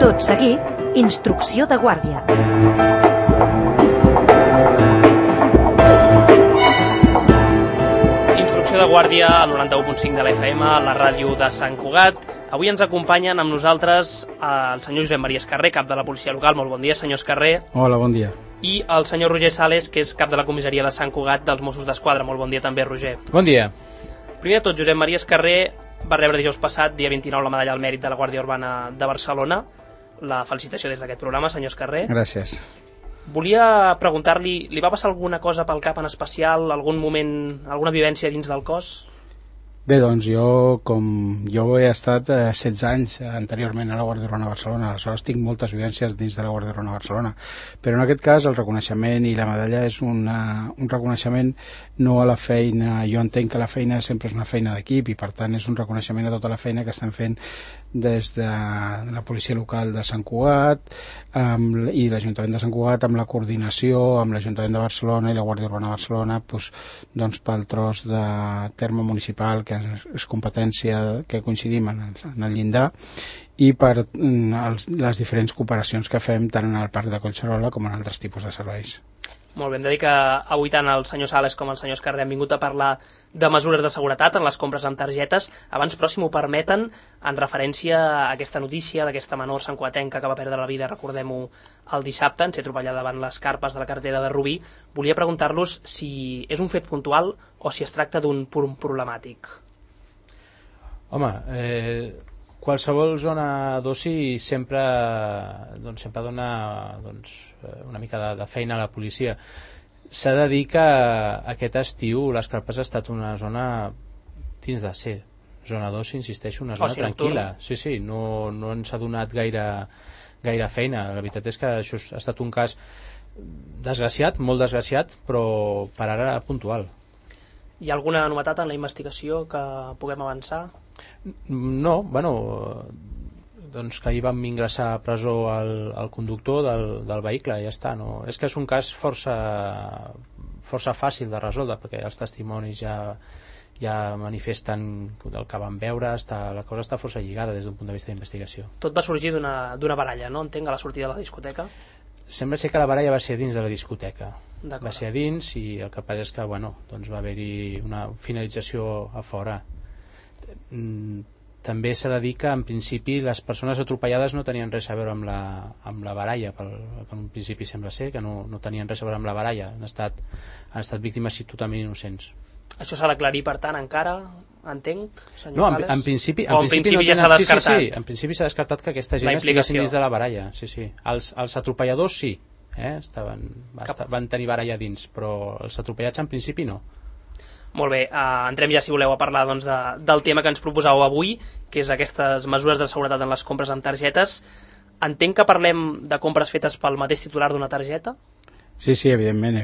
Tot seguit, instrucció de guàrdia. Instrucció de guàrdia al 91.5 de la FM, a la ràdio de Sant Cugat. Avui ens acompanyen amb nosaltres el senyor Josep Maria Escarré, cap de la policia local. Molt bon dia, senyor Escarré. Hola, bon dia. I el senyor Roger Sales, que és cap de la comissaria de Sant Cugat dels Mossos d'Esquadra. Molt bon dia també, Roger. Bon dia. Primer de tot, Josep Maria Escarré va rebre dijous passat, dia 29, la medalla al mèrit de la Guàrdia Urbana de Barcelona. La felicitació des d'aquest programa, senyor Escarré. Gràcies. Volia preguntar-li, li va passar alguna cosa pel cap en especial, algun moment, alguna vivència dins del cos? Bé, doncs jo he estat 16 anys anteriorment a la Guàrdia Urbana de Barcelona, aleshores tinc moltes vivències dins de la Guàrdia Urbana de Barcelona, però en aquest cas el reconeixement i la medalla és un reconeixement no a la feina. Jo entenc que la feina sempre és una feina d'equip i per tant és un reconeixement a tota la feina que estem fent des de la policia local de Sant Cugat i l'Ajuntament de Sant Cugat, amb la coordinació amb l'Ajuntament de Barcelona i la Guàrdia Urbana de Barcelona, doncs pel tros de terme municipal que és competència que coincidim en el llindar, i per les diferents cooperacions que fem tant en el Parc de Collserola com en altres tipus de serveis. Molt bé, hem de dir que avui tant el senyor Sales com el senyor Escarré han vingut a parlar de mesures de seguretat en les compres amb targetes. Abans, però, si m'ho permeten, en referència a aquesta notícia d'aquesta menor santcugatenca que va perdre la vida, recordem-ho, el dissabte, en ser atropellada davant les carpes de la carretera de Rubí, volia preguntar-los si és un fet puntual o si es tracta d'un punt problemàtic. Home, qualsevol zona d'oci sempre dona una mica de feina a la policia. S'ha de dir que aquest estiu les Carpes ha estat una zona dins de ser zona d'oci, insisteixo, una zona tranquil·la. Sí, no ens ha donat gaire feina. La veritat és que això ha estat un cas desgraciat, molt desgraciat, però per ara puntual. Hi ha alguna novetat en la investigació que puguem avançar? No, doncs que ahir vam ingressar a presó el conductor del vehicle i ja està. No? És que és un cas força fàcil de resoldre, perquè els testimonis ja manifesten el que van veure, la cosa està força lligada des d'un punt de vista d'investigació. Tot va sorgir d'una baralla, no? Entenc, a la sortida de la discoteca? Sembla ser que la baralla va ser dins de la discoteca. Va ser a dins i el que passa és que doncs va haver-hi una finalització a fora. També s'ha de dir que en principi les persones atropellades no tenien res a veure amb la baralla, que en un principi sembla ser que no tenien res a veure amb la baralla, han estat víctimes totalment innocents. Això s'ha d'aclarir, per tant, encara, entenc, senyor Sales? No, en principi ja s'ha descartat. Sí, en principi s'ha descartat que aquesta gent estiguessin dins de la baralla. Sí. Els atropelladors sí, van tenir baralla dins, però els atropellats en principi no. Molt bé, entrem ja, si voleu, a parlar doncs, del tema que ens proposàveu avui, que és aquestes mesures de seguretat en les compres amb targetes. Entenc que parlem de compres fetes pel mateix titular d'una targeta? Sí, evidentment.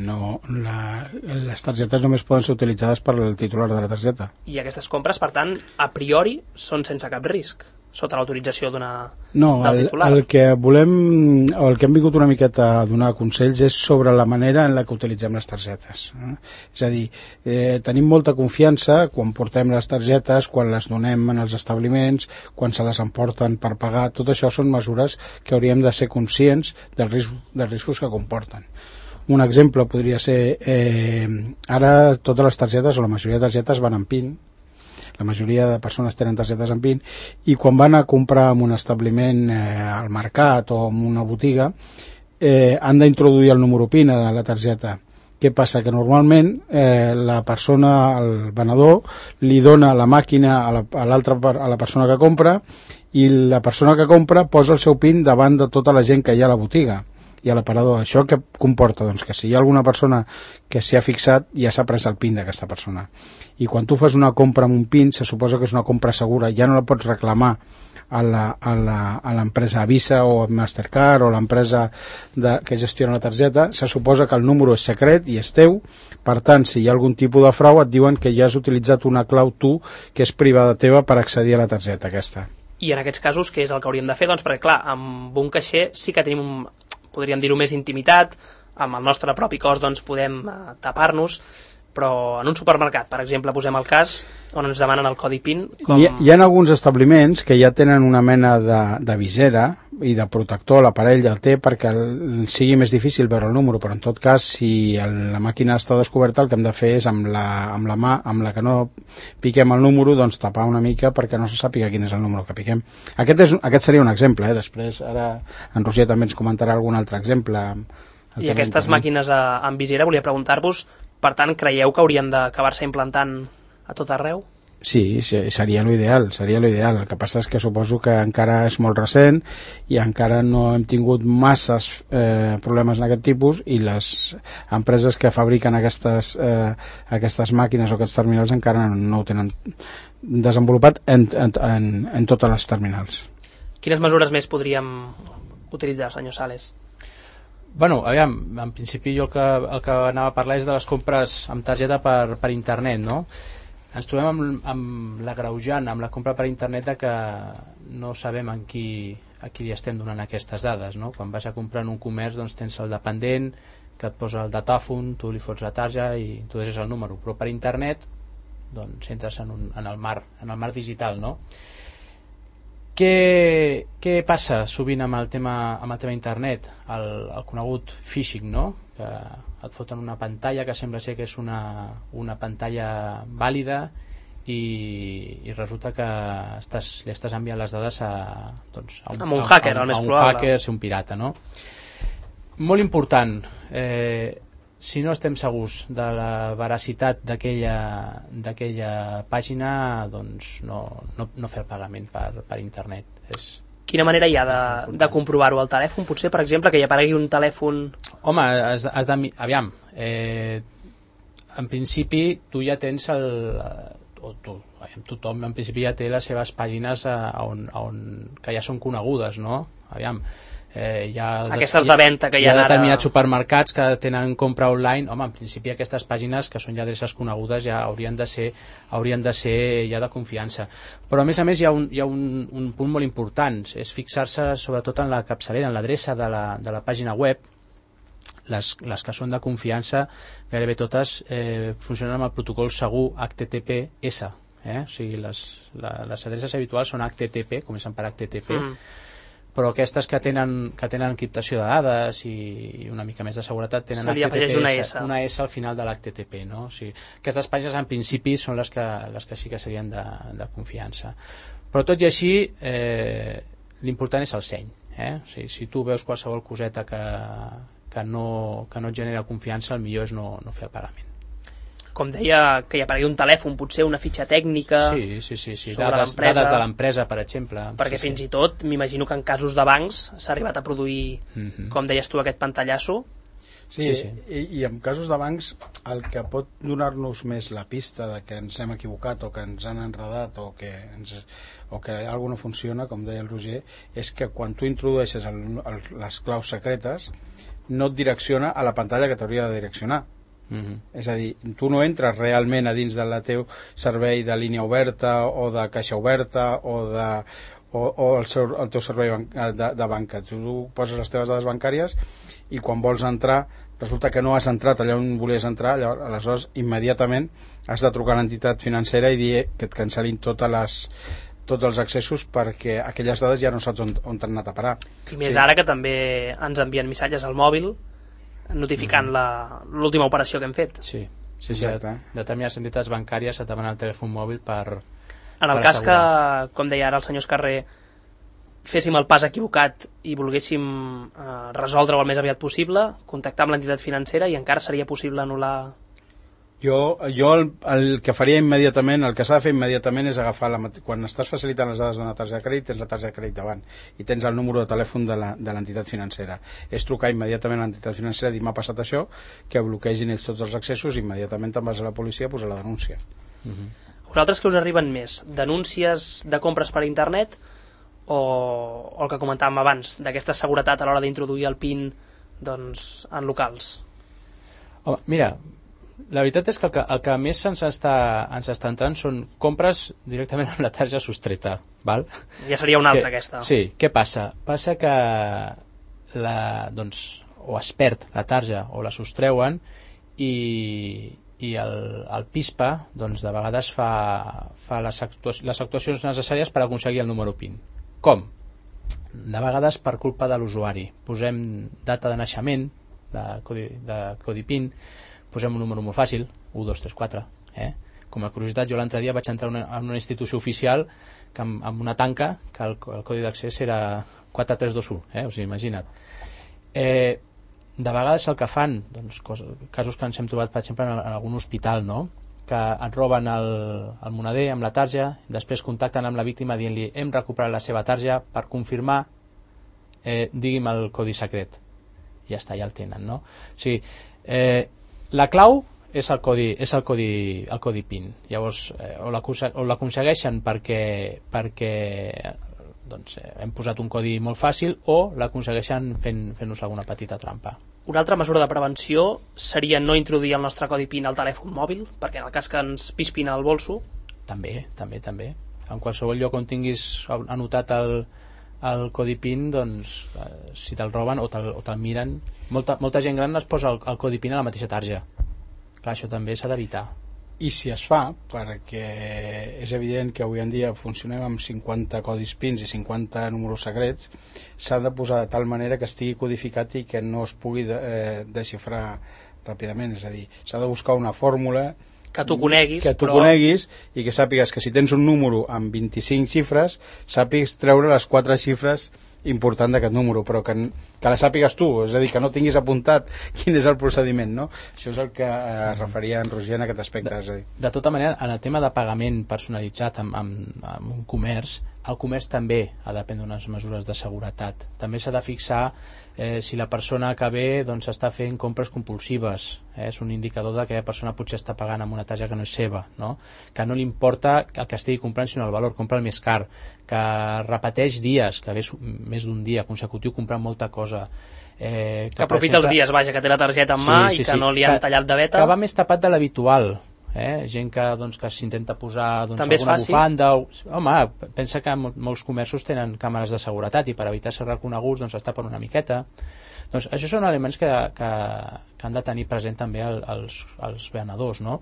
No, les targetes només poden ser utilitzades per el titular de la targeta. I aquestes compres, per tant, a priori, són sense cap risc, sota l'autorització del titular. El que volem, o el que hem vingut una miqueta a donar consells és sobre la manera en la que utilitzem les targetes. És a dir, tenim molta confiança quan portem les targetes, quan les donem en els establiments, quan se les emporten per pagar. Tot això són mesures que hauríem de ser conscients dels riscos que comporten. Un exemple podria ser, ara totes les targetes, o la majoria de targetes, van amb PIN. La majoria de persones tenen targetes amb PIN, i quan van a comprar en un establiment, al mercat o en una botiga, han d'introduir el número PIN a la targeta. Què passa? Que normalment la persona, el venedor, li dona la màquina a la persona que compra, i la persona que compra posa el seu PIN davant de tota la gent que hi ha a la botiga i a l'aparador. Això què comporta? Doncs que si hi ha alguna persona que s'hi ha fixat, ja s'ha pres el PIN d'aquesta persona. I quan tu fas una compra amb un PIN, se suposa que és una compra segura, ja no la pots reclamar a l'empresa Visa o Mastercard o l'empresa que gestiona la targeta. Se suposa que el número és secret i és teu, per tant, si hi ha algun tipus de frau, et diuen que ja has utilitzat una clau tu que és privada teva per accedir a la targeta aquesta. I en aquests casos, què és el que hauríem de fer? Doncs perquè, clar, amb un caixer sí que tenim, podríem dir-ho, més intimitat, amb el nostre propi cos doncs podem tapar-nos. però en un supermercat, per exemple, posem el cas on ens demanen el codi PIN Hi ha alguns establiments que ja tenen una mena de visera i de protector, l'aparell el té perquè sigui més difícil veure el número, però en tot cas si la màquina està descoberta el que hem de fer és amb la mà amb la que no piquem el número, doncs tapar una mica perquè no se sàpiga quin és el número que piquem. Aquest seria un exemple, després ara en Roger també ens comentarà algun altre exemple. I aquestes màquines amb visera, volia preguntar-vos, per tant, creieu que haurien d'acabar-se implantant a tot arreu? Sí, seria l'ideal, El que passa és que suposo que encara és molt recent i encara no hem tingut masses problemes en aquest tipus i les empreses que fabriquen aquestes màquines o aquests terminals encara no ho tenen desenvolupat en totes les terminals. Quines mesures més podríem utilitzar, senyor Sales? Bueno, aviam, en principi jo el que anava a parlar és de les compres amb targeta per internet, no? Ens trobem amb l'agreujant, amb la compra per internet, de que no sabem a qui li estem donant aquestes dades, no? Quan vas a comprar en un comerç, doncs tens el dependent que et posa el datàfon, tu li fots la tarja i tu deixes el número, però per internet doncs entres en el mar digital, no? Què passa sovint amb el tema internet? El conegut phishing, no? Que et foten una pantalla que sembla ser que és una pantalla vàlida i resulta que li estàs enviant les dades a un hacker, al més probable. Hacker, ser un pirata, no? Molt important, si no estem segurs de la veracitat d'aquella pàgina, doncs no fer el pagament per internet. Quina manera hi ha de comprovar-ho al telèfon? Potser, per exemple, que hi aparegui un telèfon... Home, aviam, en principi tu ja tens tothom en principi ja té les seves pàgines que ja són conegudes, no? Aviam, aquestes de venda que hi ha determinats supermercats que tenen compra online. Home, en principi aquestes pàgines que són ja adreces conegudes ja haurien de ser ja de confiança, però a més hi ha un punt molt important, és fixar-se sobretot en la capçalera, en l'adreça de la pàgina web. Les que són de confiança gairebé totes funcionen amb el protocol segur HTTPS, o sigui, les adreces habituals són HTTP, comencen per HTTP, però aquestes que tenen encriptació de dades i una mica més de seguretat tenen una S al final de l'HTTP, no? O sigui, aquestes pàgines en principi són les que sí que serien de confiança, però tot i així l'important és el seny, o sigui, si tu veus qualsevol coseta que no et genera confiança, el millor és no fer el pagament. Com deia, que hi aparegui un telèfon, potser una fitxa tècnica... Sí, dades de l'empresa, per exemple. Perquè fins i tot, m'imagino que en casos de bancs s'ha arribat a produir, com deies tu, aquest pantallasso. Sí. I en casos de bancs el que pot donar-nos més la pista de que ens hem equivocat o que ens han enredat o que alguna no funciona, com deia el Roger, és que quan tu introdueixes les claus secretes no et direcciona a la pantalla que t'hauria de direccionar. És a dir, tu no entres realment a dins del teu servei de línia oberta o de caixa oberta o el teu servei de banca. Tu poses les teves dades bancàries i quan vols entrar resulta que no has entrat allà on volies entrar, aleshores immediatament has de trucar a l'entitat financera i dir que et cancel·lin tots els accessos perquè aquelles dades ja no saps on t'han anat a parar. I més ara que també ens envien missatges al mòbil notificant l'última operació que hem fet. Sí. Determinades entitats bancàries et demanen el telèfon mòbil per en el cas que, com deia ara el senyor Escarrer, féssim el pas equivocat i volguéssim resoldre-ho el més aviat possible, contactar amb l'entitat financera i encara seria possible anul·lar... Jo el que faria immediatament, el que s'ha de fer immediatament és agafar, quan estàs facilitant les dades d'una targeta de crèdit, tens la targeta de crèdit davant i tens el número de telèfon de l'entitat financera. És trucar immediatament a l'entitat financera i dir m'ha passat això, que bloquegin ells tots els accessos i immediatament te'n vas a la policia a posar la denúncia. Vosaltres que us arriben més? Denúncies de compres per internet o el que comentàvem abans, d'aquesta seguretat a l'hora d'introduir el PIN en locals? Home, mira, la veritat és que el que més ens està entrant són compres directament amb la tarja sostreta, val? Ja seria una altra aquesta. Sí, què passa? Passa que o es perd la tarja o la sostreuen i i el PISPA doncs, de vegades fa les actuacions necessàries per aconseguir el número PIN. Com? De vegades per culpa de l'usuari. Posem data de naixement, de codi PIN, posem un número molt fàcil, 1, 2, 3, 4. Com a curiositat, jo l'altre dia vaig entrar en una institució oficial que amb una tanca que el codi d'accés era 4321, o sigui, imagina't. De vegades el que fan, doncs, casos que ens hem trobat, per exemple, en algun hospital, no?, que et roben el moneder amb la tarja, després contacten amb la víctima dient-li hem recuperat la seva tarja per confirmar, digui'm el codi secret. I ja està, ja el tenen, no? O sigui, la clau és el codi PIN. Llavors, o l'aconsegueixen perquè doncs, hem posat un codi molt fàcil, o l'aconsegueixen fent-nos alguna petita trampa. Una altra mesura de prevenció seria no introduir el nostre codi PIN al telèfon mòbil, perquè en el cas que ens pispin al bolso... També. En qualsevol lloc on tinguis anotat el codi PIN, doncs, si te'l roben o te'l miren... Molta gent gran es posa el codi PIN a la mateixa tarja. Clar, això també s'ha d'evitar. I si es fa, perquè és evident que avui en dia funcionem amb 50 codis PINs i 50 números secrets, s'ha de posar de tal manera que estigui codificat i que no es pugui desxifrar ràpidament. És a dir, s'ha de buscar una fórmula que tu coneguis, coneguis i que sàpigues que si tens un número amb 25 xifres, sàpigues treure les 4 xifres important d'aquest número, però que la sàpigues tu, és a dir, que no tinguis apuntat quin és el procediment, no? Això és el que es referia en Roger en aquest aspecte. És a dir. De tota manera, en el tema de pagament personalitzat amb un comerç, el comerç també ha de prendre unes mesures de seguretat. També s'ha de fixar si la persona que ve doncs, està fent compres compulsives. És un indicador de que la persona potser està pagant amb una tarja que no és seva, no? Que no li importa el que estigui comprant, sinó el valor, compra el més car, que repeteix dies, que ve més d'un dia consecutiu comprant molta cosa. Que aprofita els dies, vaja, que té la targeta en mà i que no li han tallat de veta. Que va més tapat de l'habitual. Gent que s'intenta posar també alguna bufanda. Home, pensa que molts comerços tenen càmeres de seguretat i per evitar ser reconeguts doncs es tapen una miqueta. Doncs això són elements que han de tenir present també els venedors, no?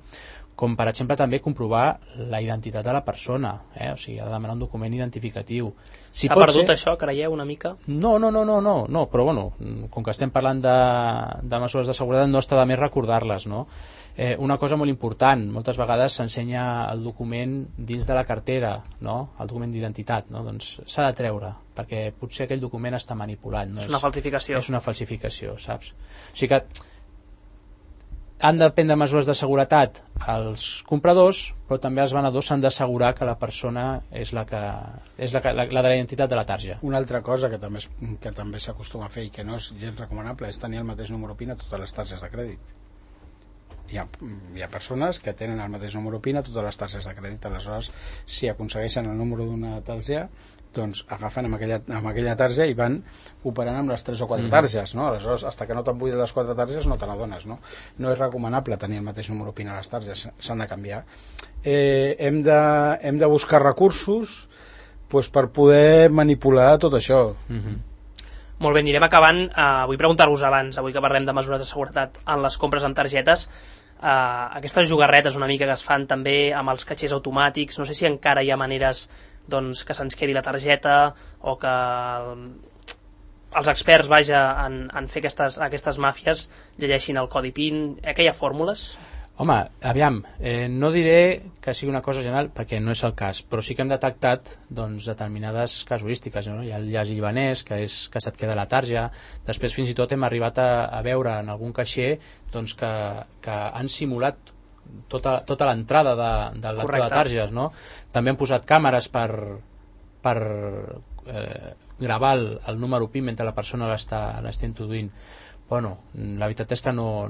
Com per exemple també comprovar la identitat de la persona, o sigui, ha de demanar un document identificatiu. S'ha perdut això, creieu, una mica? No, però bueno, com que estem parlant de mesures de seguretat no està de més recordar-les, no? Una cosa molt important, moltes vegades s'ensenya el document dins de la cartera, no? El document d'identitat, no? Doncs s'ha de treure, perquè potser aquell document està manipulat, no? És una falsificació. És una falsificació, saps? O sigui que han de prendre mesures de seguretat els compradors, però també els venedors s'han d'assegurar que la persona és la de la identitat de la tarja. Una altra cosa que també s'acostuma a fer i que no és gens recomanable és tenir el mateix número PIN a totes les targes de crèdit. Hi ha persones que tenen el mateix número PIN a totes les targes de crèdit. Aleshores, si aconsegueixen el número d'una targeta, doncs agafen amb aquella tarja i van operant amb les 3 o 4 targes, no? Aleshores, fins que no te'n buides les 4 targes no te n'adones, no? No és recomanable tenir el mateix número PIN a les targes, s'han de canviar. Hem de buscar recursos per poder manipular tot això. Molt bé, anirem acabant. Vull preguntar-vos abans, avui que parlem de mesures de seguretat en les compres amb targetes, aquestes jugarretes una mica que es fan també amb els caixers automàtics, no sé si encara hi ha maneres doncs, que se'ns quedi la targeta o que els experts, vaja, en fer aquestes màfies llegeixin el codi PIN. Que hi ha fórmules? Home, aviam, no diré que sigui una cosa general perquè no és el cas, però sí que hem detectat doncs, determinades casuístiques, no? Hi ha el llaç libanès, que se't queda la tarja. Després fins i tot hem arribat a veure en algun caixer doncs, que han simulat tota l'entrada del lector de targes, no? També han posat càmeres per gravar el número PIN mentre la persona l'està introduint. Bueno, la veritat és que no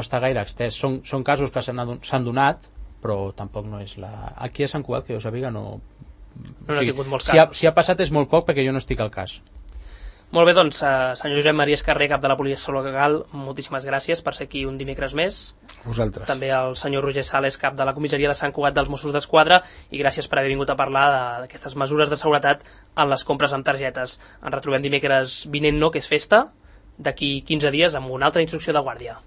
està gaire extès. Són casos que s'han donat, però tampoc no és la... Aquí a Sant Cugat, que jo sàpiga, no... No he tingut molts casos. Si ha passat és molt poc perquè jo no estic al cas. Molt bé, doncs, senyor Josep Maria Escarrer, cap de la Policia Local, moltíssimes gràcies per ser aquí un dimecres més. Vosaltres. També al senyor Roger Sales, cap de la comissaria de Sant Cugat dels Mossos d'Esquadra, i gràcies per haver vingut a parlar d'aquestes mesures de seguretat en les compres amb targetes. Ens retrobem dimecres vinent, no, que és festa, d'aquí 15 dies amb una altra instrucció de guàrdia.